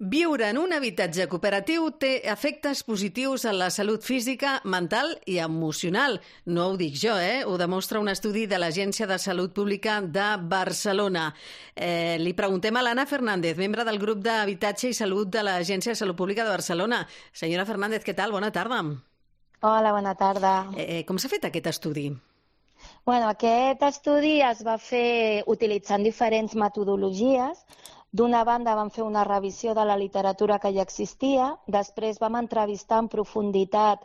Viure en un habitatge cooperatiu té efectes positius en la salut física, mental i emocional. No ho dic jo, Ho demostra un estudi de l'Agència de Salut Pública de Barcelona. Li preguntem a l'Anna Fernández, membre del grup d'Habitatge i Salut de l'Agència de Salut Pública de Barcelona. Senyora Fernández, què tal? Bona tarda. Hola, bona tarda. Com s'ha fet aquest estudi? Aquest estudi es va fer utilitzant diferents metodologies. D'una banda vam fer una revisió de la literatura que ja existia, després vam entrevistar en profunditat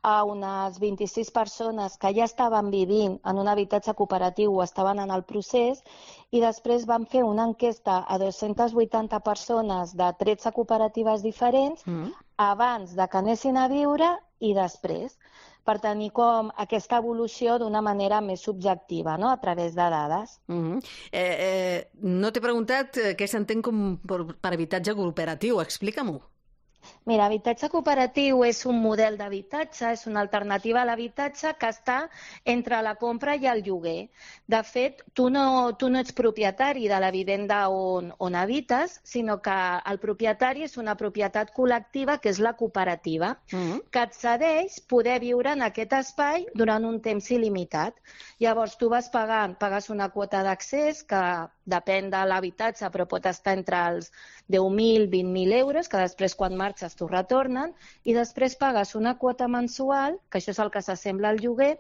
a unes 26 persones que ja estaven vivint en un habitatge cooperatiu o estaven en el procés, i després vam fer una enquesta a 280 persones de 13 cooperatives diferents abans de que anessin a viure i després, per tenir com aquesta evolució d'una manera més subjectiva, a través de dades. No t'he preguntat què s'entén com per habitatge cooperatiu. Explica-m'ho. Mira, habitatge cooperatiu és un model d'habitatge, és una alternativa a l'habitatge que està entre la compra i el lloguer. De fet, tu no ets propietari de la vivenda on habites, sinó que el propietari és una propietat col·lectiva, que és la cooperativa, que et cedeix poder viure en aquest espai durant un temps il·limitat. Llavors, tu vas pagant, pagues una quota d'accés que depèn de l'habitatge, però pot estar entre els 10.000 i 20.000 euros, que després quan marxes t'ho retornen, i després pagues una quota mensual, que això és el que s'assembla al lloguer,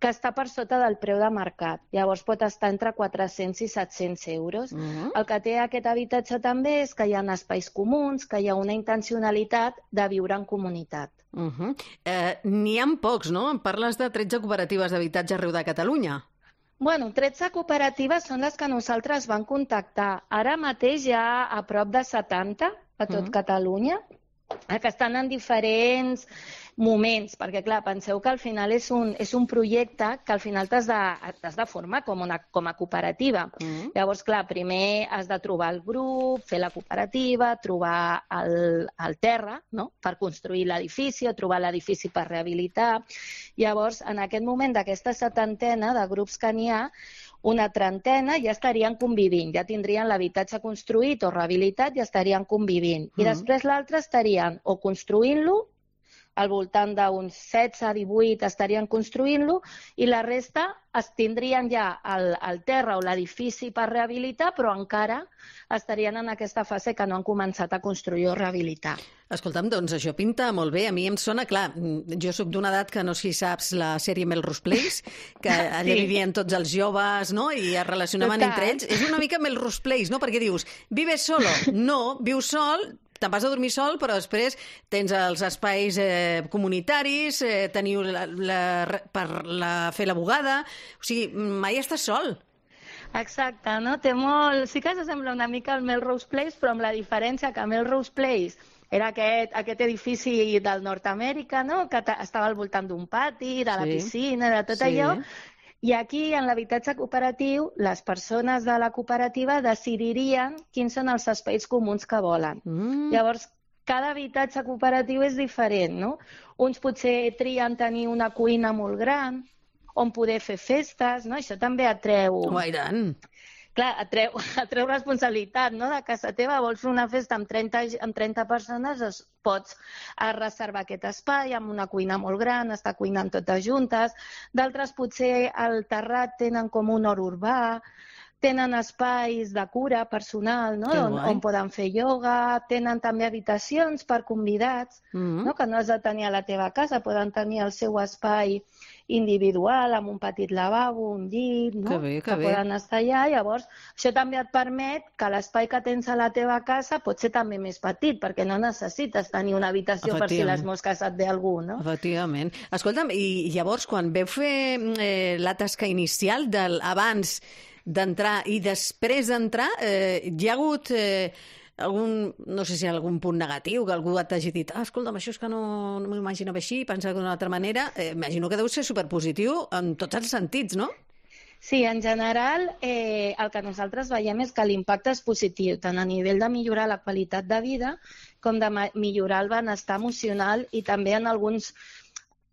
que està per sota del preu de mercat. Llavors pot estar entre 400 i 700 euros. El que té aquest habitatge també és que hi ha espais comuns, que hi ha una intencionalitat de viure en comunitat. N'hi ha pocs, no? Em parles de 13 cooperatives d'habitatge arreu de Catalunya. 13 cooperatives són les que nosaltres vam contactar. Ara mateix hi ha a prop de 70 a tot Catalunya, que estan en diferents moments, perquè clar, penseu que al final és un projecte que al final t'has de formar com a cooperativa. Llavors, clar, primer has de trobar el grup, fer la cooperativa, trobar el terra, per construir l'edifici o trobar l'edifici per rehabilitar. Llavors, en aquest moment d'aquesta setantena de grups que n'hi ha, una trentena ja estarien convivint, ja tindrien l'habitatge construït o rehabilitat i estarien convivint. I després l'altre estarien o construint-lo, al voltant d'uns 16-18 estarien construint-lo, i la resta es tindrien ja el terra o l'edifici per rehabilitar, però encara estarien en aquesta fase que no han començat a construir o rehabilitar. Escolta'm, doncs això pinta molt bé. A mi em sona, clar, jo sóc d'una edat que no sé si saps la sèrie Melrose Place, que allà vivien tots els joves, i es relacionaven entre ells. És una mica Melrose Place, no? Perquè dius, vives solo? No, vius sol, te'n vas a dormir sol, però després tens els espais comunitaris, teniu per fer la bugada, o sigui, mai estàs sol. Exacte, no? Té molt... Sí que s'assembla una mica al Melrose Place, però amb la diferència que Melrose Place era aquest edifici del Nord-Amèrica, que estava al voltant d'un pati, de la piscina, de tot allò. I aquí, en l'habitatge cooperatiu, les persones de la cooperativa decidirien quins són els espais comuns que volen. Llavors, cada habitatge cooperatiu és diferent, no? Uns potser trien tenir una cuina molt gran, on poder fer festes, no? Això també atreu... Oh, i tant! Clar, atreu responsabilitat, no? De casa teva vols fer una festa amb 30 persones, doncs pots reservar aquest espai amb una cuina molt gran, estar cuinant totes juntes. D'altres potser al terrat tenen com un hort urbà, tenen espais de cura personal, no? On poden fer ioga, tenen també habitacions per convidats, que no has de tenir a la teva casa, poden tenir el seu espai individual, amb un petit lavabo, un llit, que poden estar allà. Llavors, això també et permet que l'espai que tens a la teva casa pot ser també més petit, perquè no necessites tenir una habitació per si les mosques et ve algú, no? Efectivament. Escolta'm, i llavors, quan veu fer la tasca inicial abans d'entrar i després d'entrar, hi ha hagut no sé si hi ha algun punt negatiu, que algú t'hagi dit escolta'm, això és que no m'ho imaginava així, pensava d'una altra manera. Imagino que deu ser superpositiu en tots els sentits, no? Sí, en general el que nosaltres veiem és que l'impacte és positiu, tant a nivell de millorar la qualitat de vida com de millorar el benestar emocional i també en alguns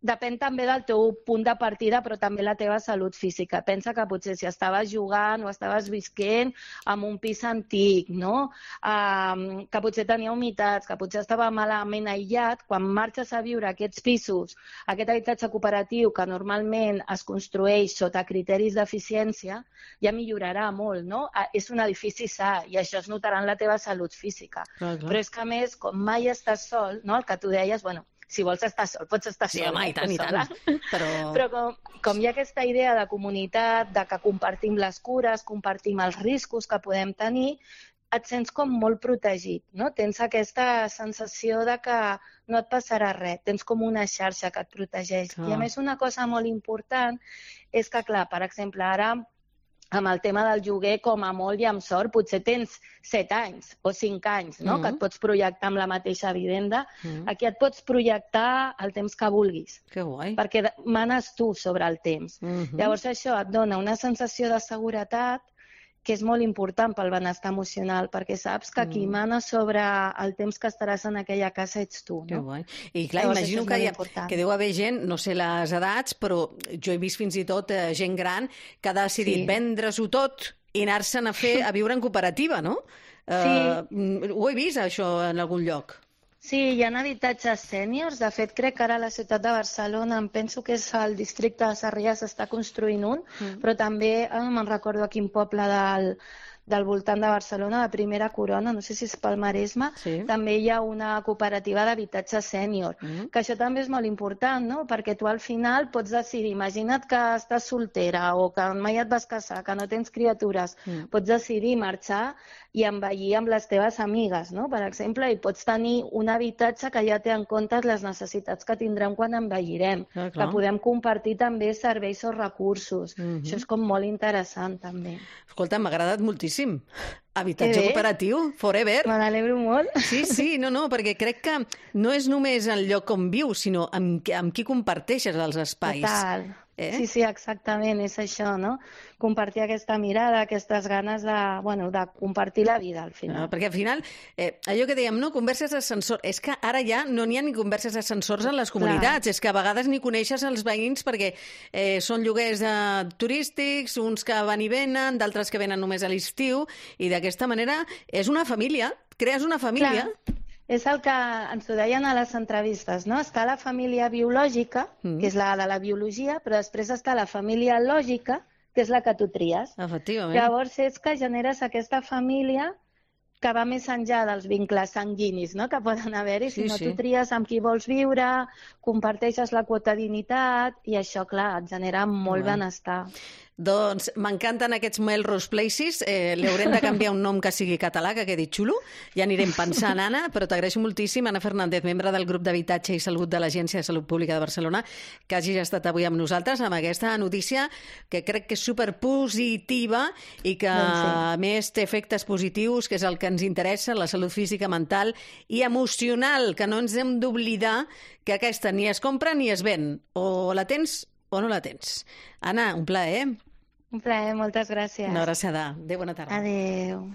depèn també del teu punt de partida, però també la teva salut física. Pensa que potser si estaves jugant o estaves visquent en un pis antic, no? Que potser tenia humitats, que potser estava malament aïllat, quan marxes a viure a aquests pisos, aquest habitatge cooperatiu que normalment es construeix sota criteris d'eficiència, ja millorarà molt, no? És un edifici sa i això es notarà en la teva salut física. Clar. Però és que, a més, com mai estàs sol, no? El que tu deies, bueno, si vols estar sol, pots estar sol. Sí, home, i tant, i tant. Però com hi ha aquesta idea de comunitat, de que compartim les cures, compartim els riscos que podem tenir, et sents com molt protegit, no? Tens aquesta sensació de que no et passarà res, tens com una xarxa que et protegeix. I a més una cosa molt important és que, clar, per exemple, ara amb el tema del lloguer, com a molt i amb sort, potser tens 7 anys o 5 anys, no? Que et pots projectar amb la mateixa vivenda. Aquí et pots projectar el temps que vulguis. Que guai. Perquè manes tu sobre el temps. Llavors això et dona una sensació de seguretat que és molt important pel benestar emocional, perquè saps que qui mana sobre el temps que estaràs en aquella casa ets tu, no? Que guai. I clar, imagino que deu haver gent, no sé les edats, però jo he vist fins i tot gent gran que ha decidit vendre-s'ho tot i anar-se'n a viure en cooperativa, no? Ho he vist, això, en algun lloc. Sí, hi ha habitatges sèniors. De fet, crec que ara a la ciutat de Barcelona, em penso que és el districte de Sarrià, s'està construint un, però també, me'n recordo a quin poble del voltant de Barcelona, de Primera Corona, no sé si és pel Maresme, també hi ha una cooperativa d'habitatge sènior, que això també és molt important, no? Perquè tu al final pots decidir, imagina't que estàs soltera o que mai et vas casar, que no tens criatures, pots decidir marxar i envellir amb les teves amigues, no? Per exemple, i pots tenir un habitatge que ja té en compte les necessitats que tindrem quan envellirem, que podem compartir també serveis o recursos. Això és com molt interessant, també. Escolta, m'ha agradat moltíssim. Habitatge cooperatiu, forever. Me n'alegro molt. Sí, no, perquè crec que no és només el lloc on vius, sinó amb qui comparteixes els espais. Total. Sí, exactament, és això, no? Compartir aquesta mirada, aquestes ganes de compartir la vida, al final. Perquè al final, allò que dèiem, no, converses d'ascensor, és que ara ja no n'hi ha ni converses d'ascensors en les comunitats, és que a vegades ni coneixes els veïns perquè són lloguers turístics, uns que van i venen, d'altres que venen només a l'estiu, i d'aquesta manera és una família, crees una família. Clar. És el que ens ho deien a les entrevistes, no? Està la família biològica, que és la de la biologia, però després està la família lògica, que és la que tu tries. Efectivament. Llavors és que generes aquesta família que va més enllà dels vincles sanguinis, no? Que poden haver-hi, sinó tu tries amb qui vols viure, comparteixes la quotidianitat i això, clar, et genera molt benestar. Doncs m'encanten aquests Melrose Places, li haurem de canviar un nom que sigui català, que quedi xulo, ja anirem pensant, Anna, però t'agraeixo moltíssim, Anna Fernández, membre del grup d'Habitatge i Salut de l'Agència de Salut Pública de Barcelona, que hagis estat avui amb nosaltres amb aquesta notícia que crec que és superpositiva i que a més té efectes positius, que és el que ens interessa, la salut física, mental i emocional, que no ens hem d'oblidar que aquesta ni es compra ni es ven, o la tens o no la tens. Anna, un plaer. Un plaer, moltes gràcies. Una abraçada. Adéu, bona tarda. Adéu.